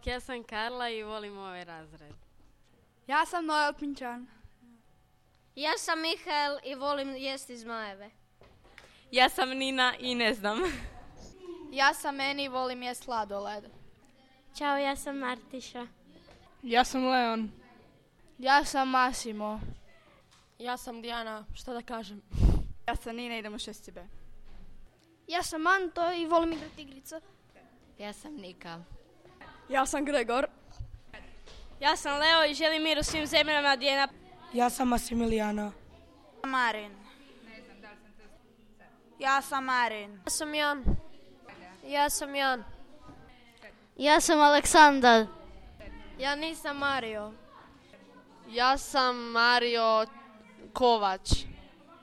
Ja sam Karla i volim ovaj razred. Ja sam Noel Pinčan. Ja sam Mihael i volim jesti zmajeve. Ja sam Nina i ne znam. Ja sam Eni i volim jest sladoled. Ćao, ja sam Martiša. Ja sam Leon. Ja sam Massimo. Ja sam Dijana, šta da kažem? Ja sam Nina, idemo 6B. Ja sam Anto i volim igrati igrica. Ja sam Nika. Ja sam Gregor. Ja sam Leo i želim mir u svim zemljama Dijana. Ja sam Masimilijana. Marin. Ja sam Marin. Ja sam Jan. Ja sam Jan. Ja sam Aleksandar. Ja nisam Mario. Ja sam Mario Kovač.